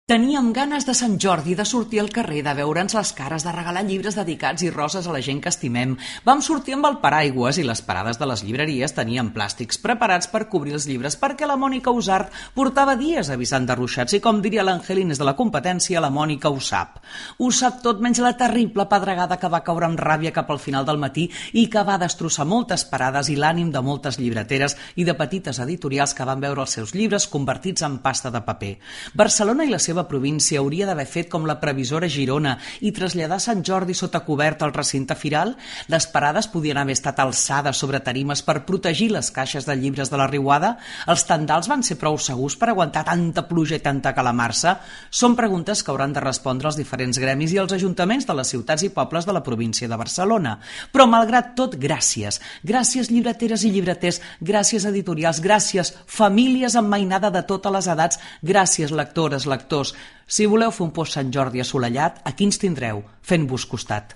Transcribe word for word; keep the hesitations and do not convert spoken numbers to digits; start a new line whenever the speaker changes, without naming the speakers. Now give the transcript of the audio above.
Teníem ganes de Sant Jordi, de sortir al carrer, de veure'ns les cares, de regalar llibres dedicats i roses a la gent que estimem. Vam sortir amb el paraigües i les parades de les llibreries tenien plàstics preparats per cobrir els llibres perquè la Mònica Usart portava dies avisant de ruixats i, com diria l'Angelines de la competència, la Mònica ho sap. Ho sap tot menys la terrible pedregada que va caure amb ràbia cap al final del matí i que va destrossar moltes parades i l'ànim de moltes llibreteres i de petites editorials que van veure els seus llibres convertits en pasta de paper. Barcelona i la seva província hauria d'haver fet com la previsora Girona i traslladar Sant Jordi sota coberta al recinte firal? Les parades podien haver estat alçades sobre tarimes per protegir les caixes de llibres de la riuada? Els tendals van ser prou segurs per aguantar tanta pluja i tanta calamarsa? Són preguntes que hauran de respondre els diferents gremis i els ajuntaments de les ciutats i pobles de la província de Barcelona. Però, malgrat tot, gràcies. Gràcies, llibreteres i llibreters. Gràcies, editorials. Gràcies, famílies amb mainada de totes les edats. Gràcies, lectores, lectors. Si voleu fer un post Sant Jordi assolellat, aquí ens tindreu, fent-vos costat.